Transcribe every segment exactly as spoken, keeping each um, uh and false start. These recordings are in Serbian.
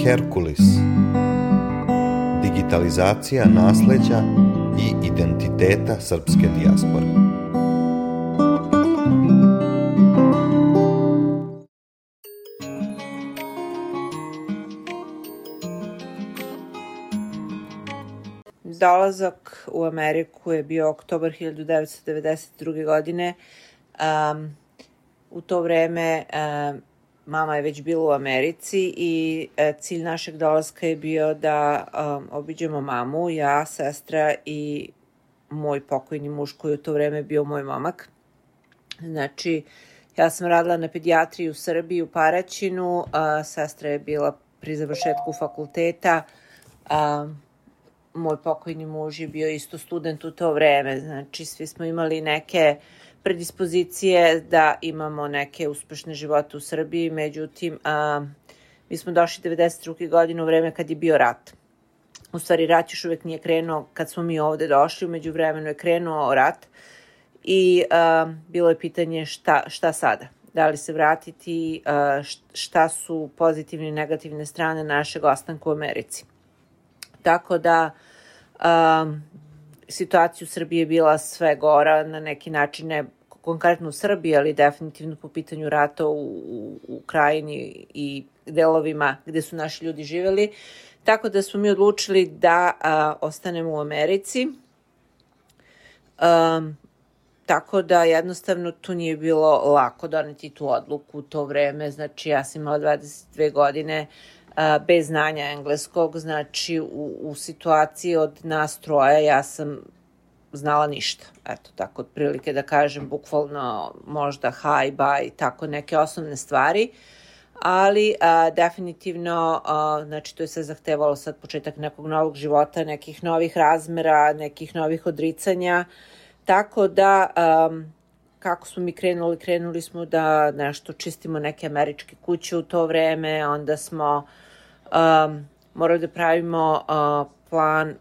Herkulis. Digitalizacija nasleđa i identiteta srpske dijaspore. Dolazak u Ameriku je bio oktobar hiljadu devetsto devedeset druge. godine. Um, u to vreme um, mama je već bila u Americi i uh, cilj našeg dolaska je bio da um, obiđemo mamu, ja, sestra i moj pokojni muž koji u to vreme bio moj momak. Znači, ja sam radila na pedijatriji u Srbiji, u Paraćinu, a sestra je bila pri završetku fakulteta, a moj pokojni muž je bio isto student u to vreme. Znači, svi smo imali neke predispozicije da imamo neke uspešne živote u Srbiji, međutim, a, mi smo došli devedeset druge. godine u vreme kad je bio rat. U stvari, rat još uvek nije krenuo kad smo mi ovde došli, umeđu vremenu je krenuo rat i a, bilo je pitanje šta, šta sada? Da li se vratiti, a, šta su pozitivne i negativne strane našeg ostanka u Americi. Tako da um, situacija u Srbiji je bila sve gora, na neki način, ne konkretno u Srbiji, ali definitivno po pitanju rata u, u, u krajini i delovima gde su naši ljudi živeli. Tako da smo mi odlučili da a, ostanemo u Americi. Um, tako da jednostavno tu nije bilo lako doneti tu odluku u to vreme. Znači, ja sam imala dvadeset dve godine, bez znanja engleskog, znači u, u situaciji od nas troja ja sam znala ništa. Eto, tako otprilike da kažem, bukvalno možda hi, bye, tako neke osnovne stvari, ali a, definitivno, a, znači to je sve zahtevalo sad početak nekog novog života, nekih novih razmera, nekih novih odricanja, tako da a, kako smo mi krenuli, krenuli smo da nešto čistimo neke američke kuće u to vreme, onda smo Um, morali da pravimo uh, plan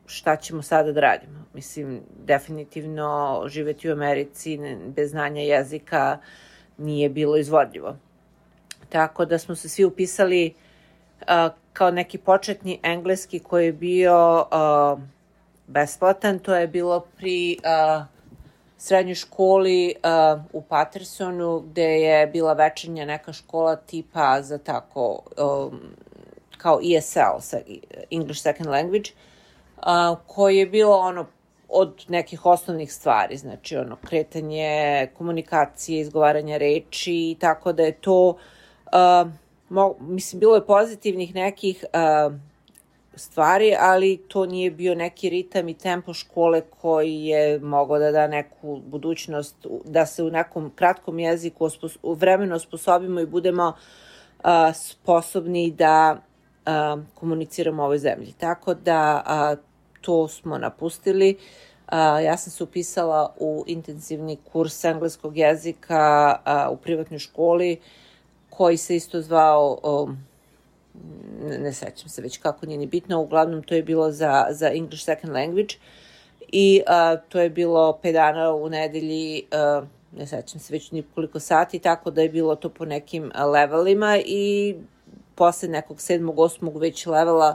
šta ćemo sada da radimo. Mislim, definitivno živeti u Americi bez znanja jezika nije bilo izvodljivo. Tako da smo se svi upisali uh, kao neki početni engleski koji je bio uh, besplatan. To je bilo pri uh, srednjoj školi uh, u Patersonu, gde je bila večernja neka škola tipa za tako um, kao E S L, English Second Language, uh, koji je bilo ono od nekih osnovnih stvari, znači ono kretanje, komunikacije, izgovaranje reči, tako da je to, uh, mo, mislim, bilo je pozitivnih nekih uh, stvari, ali to nije bio neki ritam i tempo škole koji je mogao da da neku budućnost, da se u nekom kratkom jeziku u vremenu osposobimo i budemo uh, sposobni da uh, komuniciramo u ovoj zemlji. Tako da uh, to smo napustili. Uh, ja sam se upisala u intenzivni kurs engleskog jezika uh, u privatnoj školi koji se isto zvao um, ne, ne sećam se već kako, nije ni bitno, uglavnom to je bilo za, za English Second Language i uh, to je bilo pet dana u nedelji, uh, ne sećam se već nikoliko sati, tako da je bilo to po nekim levelima i posle nekog sedmog, osmog već levela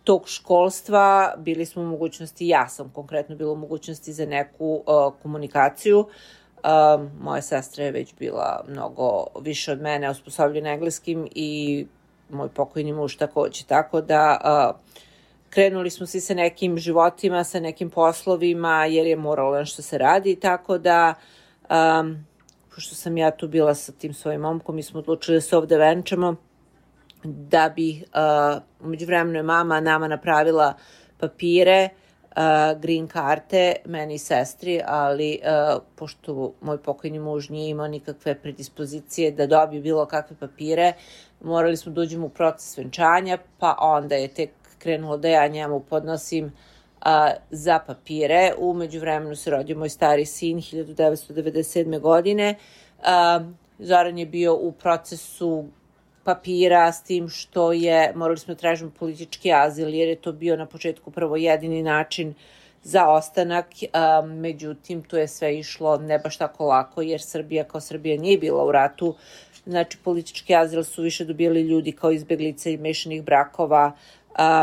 tog školstva bili smo u mogućnosti, ja sam konkretno bila u mogućnosti za neku uh, komunikaciju. Uh, moja sestra je već bila mnogo više od mene osposobljena engleskim i moj pokojni muž takođe, tako da uh, krenuli smo svi sa nekim životima, sa nekim poslovima, jer je moralo nešto se radi, tako da um, pošto sam ja tu bila sa tim svojim momkom, mi smo odlučili da se ovde venčamo, da bi uh, umeđu vremenu je mama nama napravila papire, uh, green karte, meni i sestri, ali uh, pošto moj pokojni muž nije imao nikakve predispozicije da dobije bilo kakve papire, morali smo da uđemo u proces venčanja, pa onda je tek krenulo da ja njemu podnosim uh, za papire. Umeđu vremenu se rodio moj stari sin hiljadu devetsto devedeset sedme. godine. Uh, Zoran je bio u procesu papira s tim što je, morali smo da tražimo politički azil, jer je to bio na početku prvo jedini način za ostanak, uh, međutim to je sve išlo ne baš tako lako, jer Srbija kao Srbija nije bila u ratu znači politički azil su više dobijali ljudi kao izbeglice i mešanih brakova,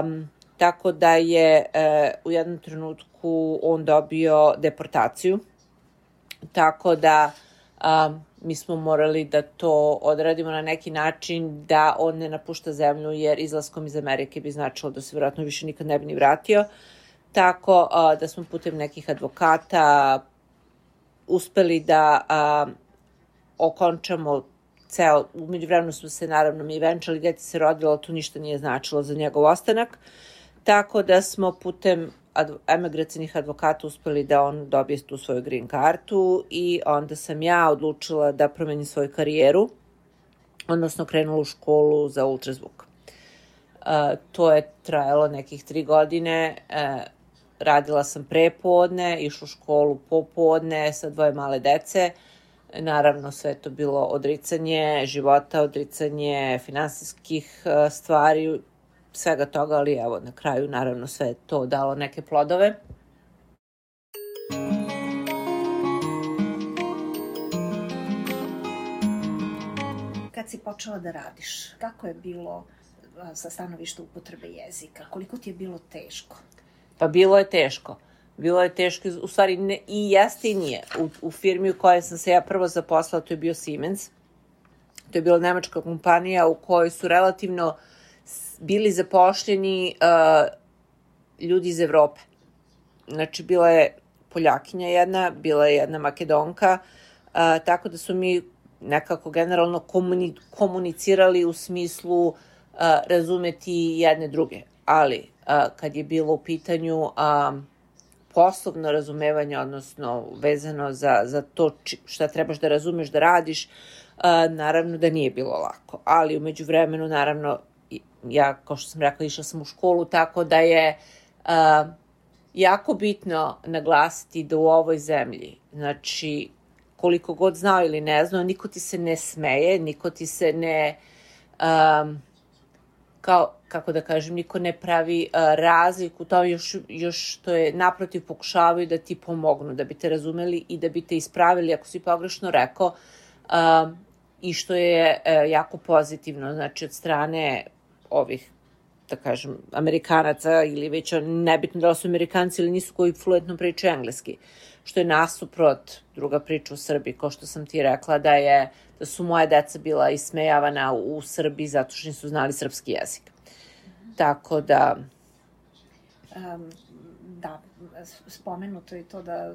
um, tako da je uh, u jednom trenutku on dobio deportaciju, tako da um, mi smo morali da to odradimo na neki način da on ne napušta zemlju, jer izlaskom iz Amerike bi značilo da se vjerojatno više nikad ne bi ni vratio. Tako uh, da smo putem nekih advokata uspeli da uh, okončamo ceo, u međuvremenu smo se naravno mi venčali, dete se rodilo, to ništa nije značilo za njegov ostanak, tako da smo putem adv emigracijnih advokata uspeli da on dobije tu svoju green kartu i onda sam ja odlučila da promenim svoju karijeru, odnosno krenula u školu za ultrazvuk. Uh, to je trajalo nekih tri godine, uh, radila sam prepodne, išla u školu popodne sa dvoje male dece. Naravno, sve to bilo odricanje života, odricanje finansijskih uh, stvari, svega toga, ali evo, na kraju, naravno, sve je to dalo neke plodove. Kad si počela da radiš, kako je bilo sa stanovišta upotrebe jezika? Koliko ti je bilo teško? Pa bilo je teško. Bilo je teško, u stvari ne, i jeste i nije. U, u firmi u kojoj sam se ja prvo zaposlala, to je bio Siemens. To je bila nemačka kompanija u kojoj su relativno bili zapošljeni uh, ljudi iz Evrope. Znači, bila je Poljakinja jedna, bila je jedna Makedonka, uh, tako da su mi nekako generalno komuni, komunicirali u smislu uh, razumeti jedne druge. Ali, uh, kad je bilo u pitanju uh, poslovno razumevanje, odnosno vezano za, za to šta trebaš da razumeš da radiš, uh, naravno da nije bilo lako. Ali, u međuvremenu, naravno, ja, kao što sam rekla, išla sam u školu, tako da je uh, jako bitno naglasiti da u ovoj zemlji, znači, koliko god znao ili ne znao, niko ti se ne smeje, niko ti se ne, um, kao, kako da kažem, niko ne pravi uh, razliku, to još, još to je naprotiv pokušavaju da ti pomognu, da bi te razumeli i da bi te ispravili ako si pogrešno rekao, uh, i što je uh, jako pozitivno, znači od strane ovih, da kažem, Amerikanaca ili već nebitno da su Amerikanci ili nisu koji fluentno pričaju engleski, što je nasuprot druga priča u Srbiji, kao što sam ti rekla da je, da su moja deca bila ismejavana u, u Srbiji zato što nisu znali srpski jezik. Mm-hmm. Tako da... Um, da, spomenuto je to da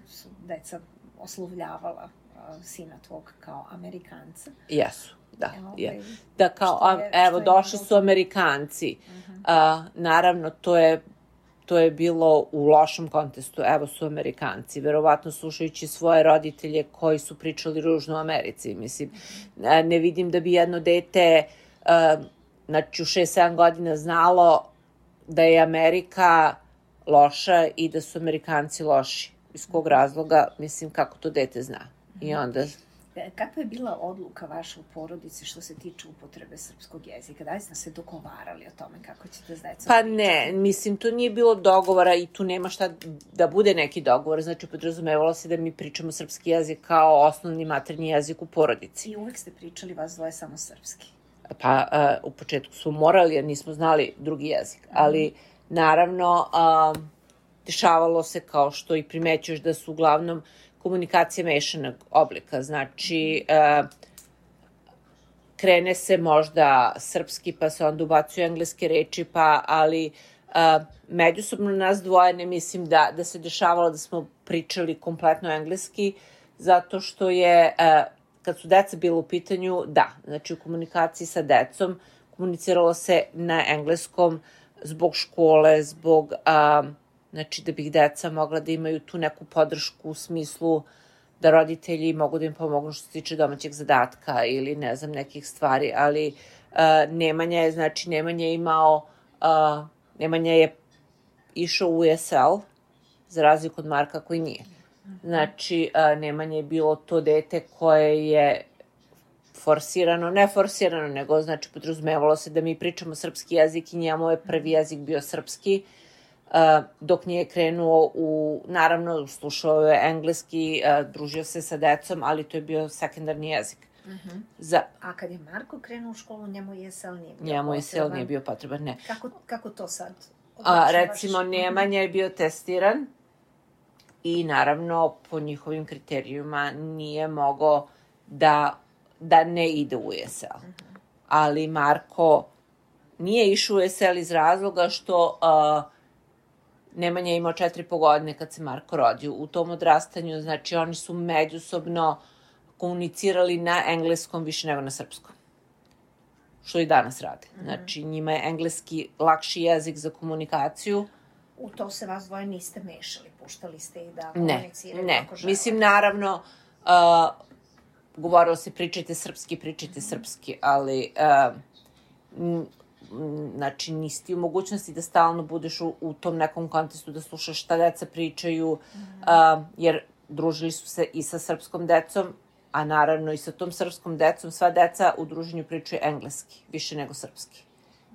su deca oslovljavala uh, sina tvog kao Amerikanca. Jesu. Da, Evo, je. Da kao, je, evo, došli su Amerikanci. Uh-huh. A, naravno, to je, to je bilo u lošem kontekstu. Evo su Amerikanci. Verovatno slušajući svoje roditelje koji su pričali ružno o Americi. Mislim, uh-huh. ne vidim da bi jedno dete uh, znači u šest sedam godina znalo da je Amerika loša i da su Amerikanci loši. Iz kog razloga, mislim, kako to dete zna. Uh-huh. I onda... Kakva je bila odluka vaša u porodici što se tiče upotrebe srpskog jezika? Da li ste se dogovarali o tome kako ćete s decom? Pa ne, mislim, to nije bilo dogovora i tu nema šta da bude neki dogovor. Znači, podrazumevalo se da mi pričamo srpski jezik kao osnovni maternji jezik u porodici. I uvek ste pričali vas dvoje samo srpski? Pa uh, u početku smo morali jer nismo znali drugi jezik. Mm. Ali, naravno, uh, dešavalo se kao što i primećuješ da su uglavnom komunikacija mešanog oblika, znači uh, krene se možda srpski pa se onda ubacuju engleske reči, pa ali uh, međusobno nas dvoje ne mislim da, da se dešavalo da smo pričali kompletno engleski, zato što je, uh, kad su deca bila u pitanju, da, znači u komunikaciji sa decom komuniciralo se na engleskom zbog škole, zbog... Uh, znači da bih deca mogla da imaju tu neku podršku u smislu da roditelji mogu da im pomognu što se tiče domaćeg zadatka ili ne znam nekih stvari, ali uh, Nemanja je, znači Nemanja je imao, uh, Nemanja je išao u U S L za razliku od Marka koji nije. Znači uh, Nemanja je bilo to dete koje je forsirano, ne forsirano, nego znači podrazumevalo se da mi pričamo srpski jezik i njemu je prvi jezik bio srpski. Uh, dok nije krenuo u, naravno, slušao je engleski, uh, družio se sa decom, ali to je bio sekundarni jezik. Uh-huh. Za... A kad je Marko krenuo u školu, njemu je E S L nije bio potreban? Njemu je E S L nije bio potreban, ne. Kako, kako to sad? A, recimo, Nemanja je bio testiran i naravno po njihovim kriterijuma nije mogao da, da ne ide u E S L. Uh-huh. Ali Marko nije išao u E S L iz razloga što uh, Nemanja je imao četiri i po godine kad se Marko rodio. U tom odrastanju, znači, oni su međusobno komunicirali na engleskom više nego na srpskom. Što i danas rade. Mm-hmm. Znači, njima je engleski lakši jezik za komunikaciju. U to se vas dvoje niste mešali, puštali ste ih da ne, komuniciraju ne. kako žele. Mislim, naravno, uh, govorilo se pričajte srpski, pričajte mm-hmm. srpski, ali uh, m, znači, nisi ti u mogućnosti da stalno budeš u, u tom nekom kontekstu, da slušaš šta deca pričaju, mm-hmm. uh, jer družili su se i sa srpskom decom, a naravno i sa tom srpskom decom, sva deca u druženju pričaju engleski, više nego srpski,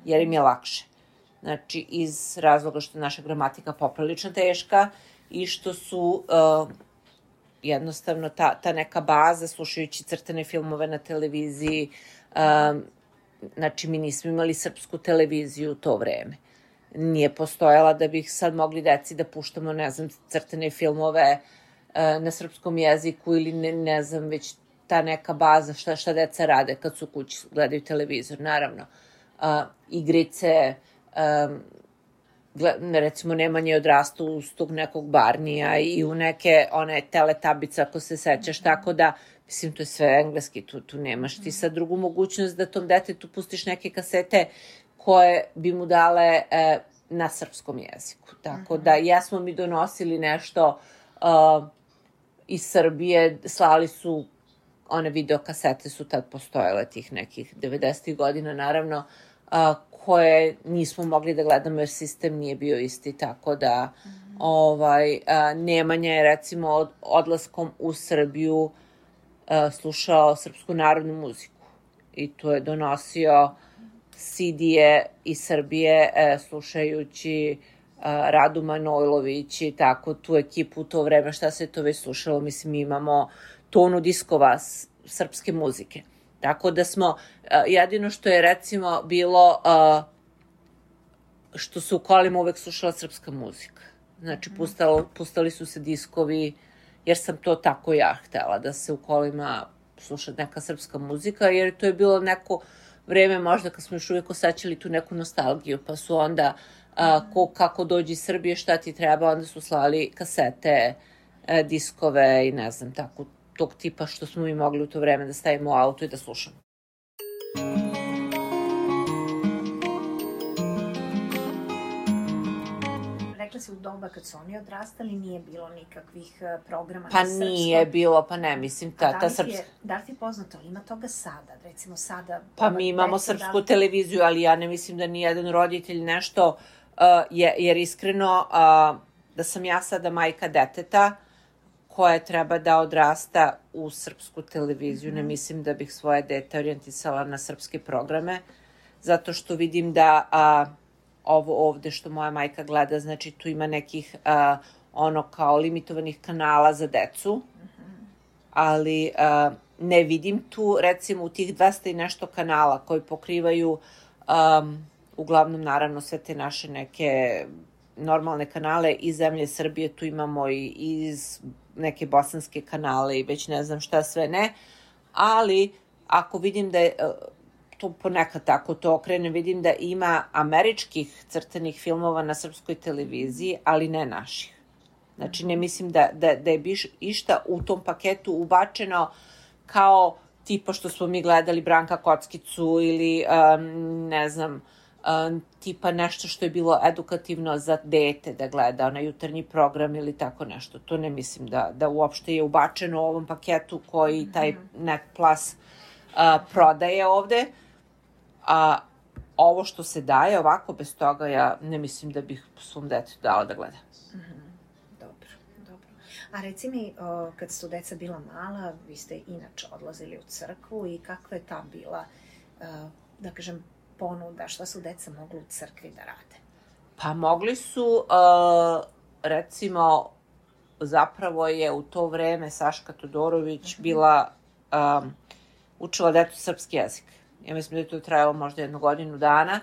jer im je lakše. Znači, iz razloga što je naša gramatika poprilično teška i što su uh, jednostavno ta, ta neka baza, slušajući crtane filmove na televiziji, uh, znači, mi nismo imali srpsku televiziju u to vreme. Nije postojala da bih sad mogli deci da puštamo, ne znam, crtane filmove na srpskom jeziku ili ne, ne znam, već ta neka baza šta, šta deca rade kad su kući, gledaju televizor, naravno. Uh, igrice, um, gled, recimo Nemanja je odrastao uz tog nekog Barnija i u neke one teletabice, ako se sećaš, tako da, mislim, to je sve engleski, tu, tu nemaš ti sad drugu mogućnost da tom detetu pustiš neke kasete koje bi mu dale eh, na srpskom jeziku. Tako da, jesmo mi donosili nešto uh, iz Srbije, slali su, one videokasete su tad postojale, tih nekih devedesetih godina, naravno, a, koje nismo mogli da gledamo jer sistem nije bio isti, tako da mm-hmm. ovaj, a, Nemanja je, recimo, od, odlaskom u Srbiju a, slušao srpsku narodnu muziku i to je donosio C D-e iz Srbije a, slušajući Radu Manojlović i tako, tu ekipu u to vreme, šta se to već slušalo, mislim, mi imamo tonu diskova s, srpske muzike. Tako da smo, jedino što je, recimo, bilo što se u kolima uvek slušala srpska muzika. Znači, pustalo, pustali su se diskovi, jer sam to tako ja htela, da se u kolima sluša neka srpska muzika, jer to je bilo neko vreme možda kad smo još uvijek osećali tu neku nostalgiju, pa su onda Uh, ko, kako dođi iz Srbije, šta ti treba, onda su slali kasete, uh, diskove i ne znam, tako, tog tipa što smo mi mogli u to vreme da stavimo u auto i da slušamo. Rekla si u doba kad su oni odrastali nije bilo nikakvih programa pa na srpskom. Pa nije bilo, pa ne, mislim, ta, da ta srpska... Da li ti je poznato, ima toga sada, recimo sada... Pa mi imamo srpsku li... televiziju, ali ja ne mislim da nijedan roditelj nešto, uh, je, jer iskreno, uh, da sam ja sada majka deteta, koja treba da odrasta u srpsku televiziju, mm-hmm. ne mislim da bih svoje dete orijentisala na srpske programe, zato što vidim da... Uh, ovo ovde što moja majka gleda, znači tu ima nekih uh, ono kao limitovanih kanala za decu, mm-hmm. ali uh, ne vidim tu, recimo u tih dvesta i nešto kanala koji pokrivaju um, uglavnom naravno sve te naše neke normalne kanale iz zemlje Srbije, tu imamo i iz neke bosanske kanale i već ne znam šta sve ne, ali ako vidim da je... Uh, to ponekad tako to okrenem, vidim da ima američkih crtanih filmova na srpskoj televiziji, ali ne naših. Znači, ne mislim da, da, da je biš, išta u tom paketu ubačeno kao tipa što smo mi gledali Branka Kockicu ili, um, ne znam, um, tipa nešto što je bilo edukativno za dete da gleda, na jutarnji program ili tako nešto. To ne mislim da, da uopšte je ubačeno u ovom paketu koji taj Net Plus uh, prodaje ovde. A ovo što se daje ovako, bez toga, ja ne mislim da bih svom detetu dala da gleda. Mm-hmm. Dobro, dobro. A reci mi, o, kad su deca bila mala, vi ste inače odlazili u crkvu i kakva je ta bila, o, da kažem, ponuda, šta su deca mogli u crkvi da rade? Pa mogli su, uh, recimo, zapravo je u to vreme Saška Todorović mm-hmm. bila... Um, učila decu srpski jezik. Ja mislim da je to trajalo možda jednu godinu dana.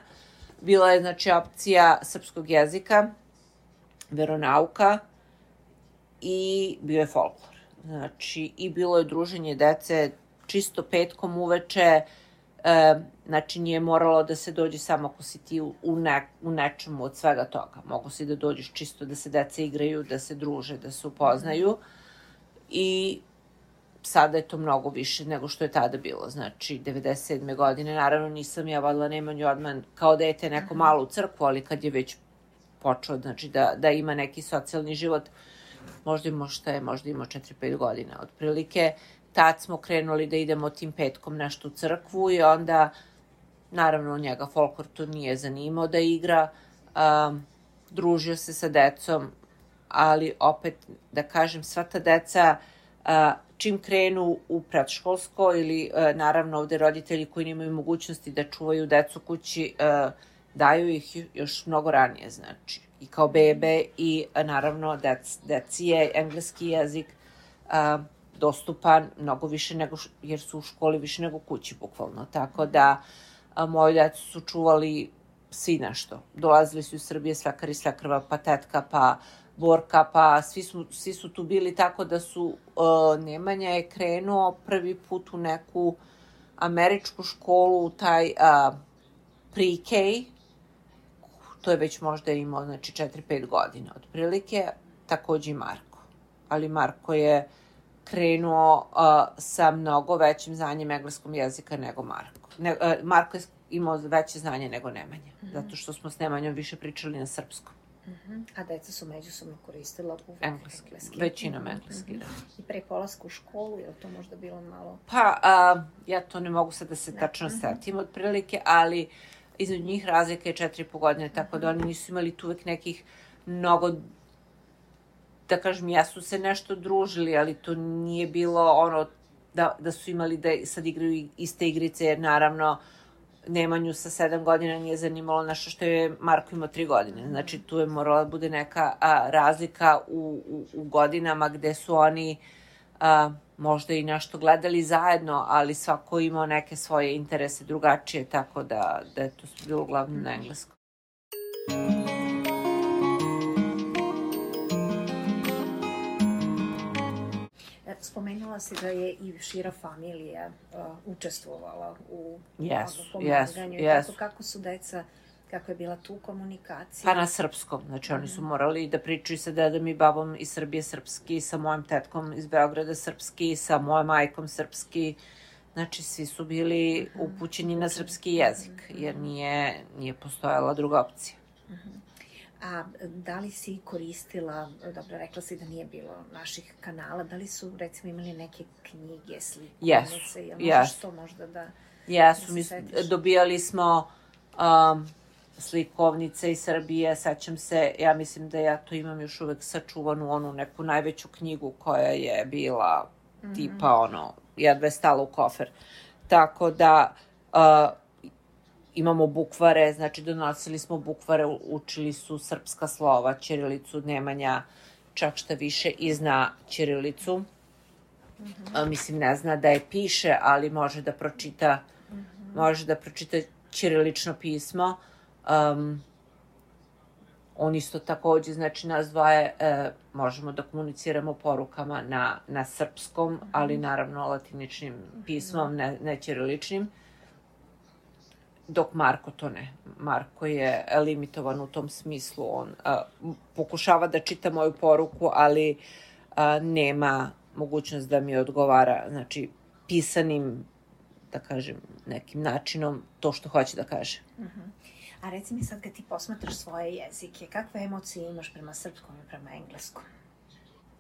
Bila je, znači, opcija srpskog jezika, veronauka i bio je folklor. Znači, i bilo je druženje dece čisto petkom uveče, e, znači nije moralo da se dođe samo ako si ti u, ne, u nečemu od svega toga. Mogu si da dođeš čisto da se deca igraju, da se druže, da se upoznaju i sada je to mnogo više nego što je tada bilo. Znači, devedeset sedme godine, naravno nisam ja vodila Nemanju Odman kao dete neko malo u crkvu, ali kad je već počeo, znači, da, da ima neki socijalni život, možda imao šta je, možda imao četiri pet godina otprilike, tad smo krenuli da idemo tim petkom nešto u crkvu i onda, naravno, njega folklor to nije zanimao da igra, um, družio se sa decom, ali opet, da kažem, sva ta deca, uh, čim krenu u predškolsko ili, uh, naravno, ovde roditelji koji nemaju mogućnosti da čuvaju decu kući, uh, daju ih još mnogo ranije, znači, i kao bebe i, uh, naravno, dec, deci je engleski jezik uh, dostupan mnogo više nego, jer su u školi više nego kući, bukvalno. Tako da, a, moji decu su čuvali svi nešto. Dolazili su iz Srbije svekar i svekrva, pa tetka, pa Borka, pa svi su, svi su tu bili, tako da su, a, Nemanja je krenuo prvi put u neku američku školu, u taj a, pre-K, to je već možda imao, znači, četiri pet godina, otprilike, takođe i Marko. Ali Marko je krenuo uh, sa mnogo većim znanjem engleskog jezika nego Marko. Ne, uh, Marko je imao veće znanje nego Nemanja, mm-hmm. zato što smo s Nemanjom više pričali na srpskom. Mm-hmm. A deca su međusobno koristila uvek engleski. engleski. Većinom engleski, mm-hmm. da. I pre polaska u školu, je li to možda bilo malo... Pa, uh, ja to ne mogu sad da se ne. tačno mm-hmm. setim otprilike, ali između njih razlika je četiri i po godine, tako mm-hmm. da oni nisu imali tu uvek nekih mnogo, da kažem, jesu se nešto družili, ali to nije bilo ono da, da su imali da sad igraju iste igrice, jer naravno Nemanju sa sedam godina nije zanimalo nešto što je Marko imao tri godine. Znači, tu je morala da bude neka a, razlika u, u, u godinama gde su oni a, možda i nešto gledali zajedno, ali svako imao neke svoje interese drugačije, tako da, da je to bilo uglavnom na engleskom. Spomenula si da je i šira familija uh, učestvovala u yes, pomaganju. Yes, yes. Kako, kako su deca, kako je bila tu komunikacija? Pa na srpskom. Znači, oni su morali da pričaju sa dedom i babom iz Srbije srpski, sa mojom tetkom iz Beograda srpski, sa mojom majkom srpski. Znači, svi su bili upućeni na srpski jezik, jer nije, nije postojala druga opcija. Uh-huh. A da li si koristila, dobro, rekla si da nije bilo naših kanala, da li su, recimo, imali neke knjige, slikovnice? Jesu, jel jesu. Možeš to možda da, jesu, da mi setiš? Dobijali smo um, slikovnice iz Srbije, sećam se, ja mislim da ja to imam još uvek sačuvanu, onu neku najveću knjigu koja je bila mm-hmm. tipa, ono, jedva je stala u kofer. Tako da... Uh, imamo bukvare, znači donosili smo bukvare, učili su srpska slova, ćirilicu, Nemanja, čak šta više i zna ćirilicu. Mm-hmm. A, mislim, ne zna da je piše, ali može da pročita, mm-hmm. može da pročita ćirilično pismo. Um, on isto takođe, znači nas dvoje, e, možemo da komuniciramo porukama na, na srpskom, mm-hmm. ali naravno latiničnim pismom, ne, ne ćiriličnim. Dok Marko to ne. Marko je limitovan u tom smislu. On a, pokušava da čita moju poruku, ali a, nema mogućnost da mi odgovara, znači, pisanim, da kažem, nekim načinom to što hoće da kaže. Uh-huh. A reci mi sad, kad ti posmatraš svoje jezike, kakve emocije imaš prema srpskom i prema engleskom?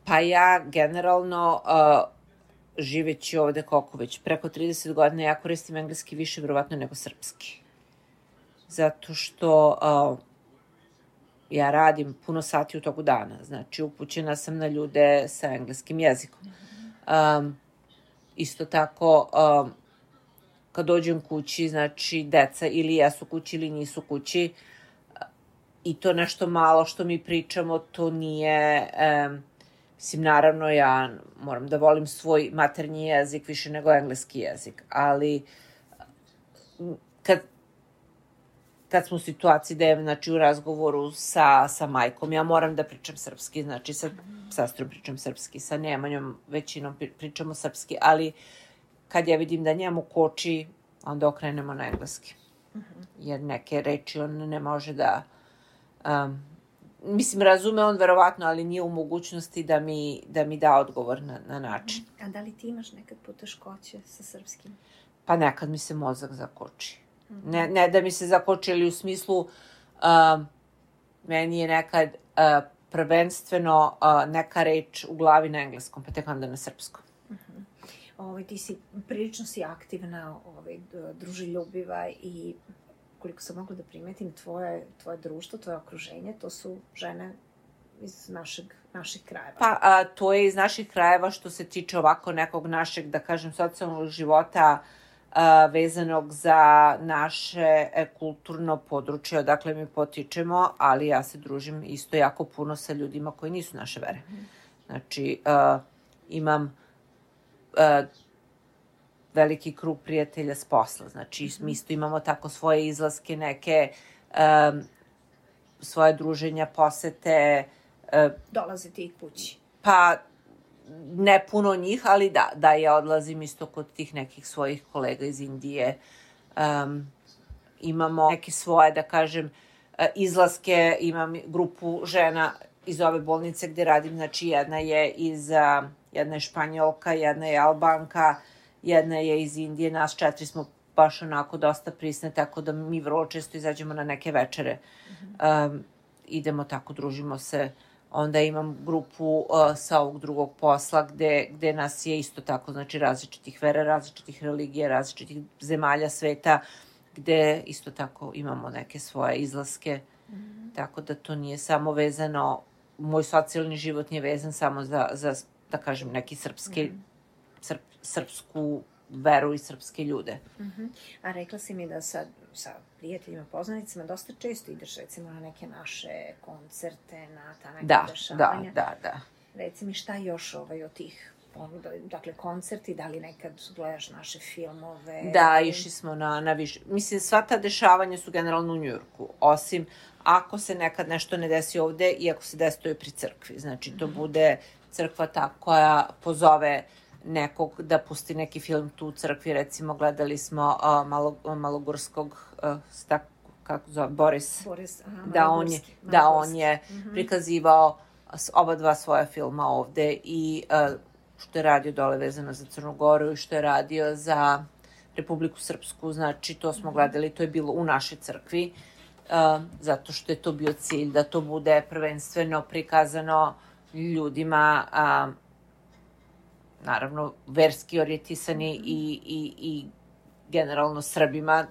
Pa ja generalno... A, živeći ovde koliko već, preko trideset godina, ja koristim engleski više vjerovatno nego srpski. Zato što uh, ja radim puno sati u toku dana, znači upućena sam na ljude sa engleskim jezikom. Um, isto tako, um, kad dođem kući, znači deca ili jesu kući ili nisu kući, uh, i to nešto malo što mi pričamo, to nije... Um, Mislim, naravno, ja moram da volim svoj maternji jezik više nego engleski jezik, ali kad, kad smo u situaciji da je, znači, u razgovoru sa, sa majkom, ja moram da pričam srpski, znači, sa sestrom pričam srpski, sa Nemanjom većinom pričamo srpski, ali kad ja vidim da njemu koči, onda okrenemo na engleski. Jer neke reči on ne može da... Um, mislim, razume on verovatno, ali nije u mogućnosti da mi da, mi da odgovor na, na način. A da li ti imaš nekad poteškoće sa srpskim? Pa nekad mi se mozak zakoči. Mm-hmm. Ne, ne da mi se zakoči, ali u smislu um, meni je nekad uh, prvenstveno uh, neka reč u glavi na engleskom, pa tek onda na srpskom. Mm-hmm. Ovaj, ti si, prilično si aktivna, ovaj, druželjubiva i koliko sam mogla da primetim, tvoje, tvoje društvo, tvoje okruženje, to su žene iz našeg, naših krajeva. Pa, a, to je iz naših krajeva što se tiče ovako nekog našeg, da kažem, socijalnog života a, vezanog za naše e, kulturno područje, odakle mi potičemo, ali ja se družim isto jako puno sa ljudima koji nisu naše vere. Mm. Znači, a, imam a, veliki krug prijatelja s posla. Znači, mi isto imamo tako svoje izlaske, neke um, svoje druženja, posete. Uh, Dolaze ti kući? Pa, ne puno njih, ali da, da ja odlazim isto kod tih nekih svojih kolega iz Indije. Um, imamo neke svoje, da kažem, izlaske. Imam grupu žena iz ove bolnice gde radim. Znači, jedna je iz, uh, jedna je Španjolka, jedna je Albanka, jedna je iz Indije, nas četiri smo baš onako dosta prisne, tako da mi vrlo često izađemo na neke večere. Mm-hmm. Um, idemo tako, družimo se. Onda imam grupu uh, sa ovog drugog posla gde, gde nas je isto tako, znači različitih vera, različitih religija, različitih zemalja sveta, gde isto tako imamo neke svoje izlaske. Mm-hmm. Tako da to nije samo vezano, moj socijalni život nije vezan samo za, za da kažem, neki srpski mm-hmm. Srp, srpsku veru i srpske ljude. Uh-huh. A rekla si mi da sa, sa prijateljima, poznanicima dosta često ideš recimo na neke naše koncerte, na ta neka da, dešavanja. Da, da, da. Reci mi šta još ovaj, od tih ponuda, dakle koncerti, da li nekad gledaš naše filmove? Da, išli smo na, na više. Mislim, sva ta dešavanja su generalno u Njujorku, osim ako se nekad nešto ne desi ovde i ako se desi to je pri crkvi. Znači, to uh-huh. bude crkva ta koja pozove nekog da pusti neki film tu u crkvi, recimo gledali smo uh, malo, malogorskog uh, stak, kako zove, Boris, Boris aha, da, on je, da on je mm-hmm. prikazivao oba dva svoja filma ovde i uh, što je radio dole vezano za Crnu Goru i što je radio za Republiku Srpsku, znači to smo mm-hmm. gledali, to je bilo u našoj crkvi, uh, zato što je to bio cilj da to bude prvenstveno prikazano ljudima uh, naravno, verski orijentisani i, i, i generalno Srbima,